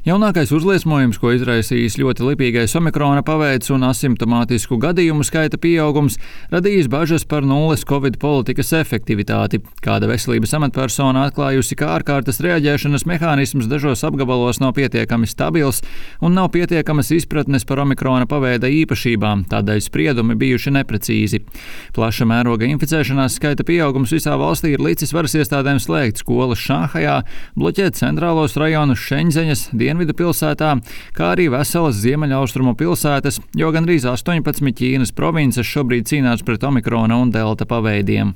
Jaunākais uzliesmojums, ko izraisījis ļoti lipīgais omikrona paveids un asimptomātisku gadījumu skaita pieaugums, radījis bažas par nulles covid politikas efektivitāti. Kāda veselības amatpersona atklājusi, ka ārkārtas reaģēšanas mehānisms dažos apgabalos nav pietiekami stabils un nav pietiekamas izpratnes par omikrona paveida īpašībām, tādēļ spriedumi bijuši neprecīzi. Plaša mēroga inficēšanās skaita pieaugums visā valstī ir licis varas iestādēm slēgt skolas Šanhajā, bloķēt centrālos rajonus Šeņzeņas, Dienvidu pilsētā, kā arī veselas ziemeļaustrumu pilsētas, jo gandrīz 18 Ķīnas provinces šobrīd cīnās pret omikrona un delta paveidiem.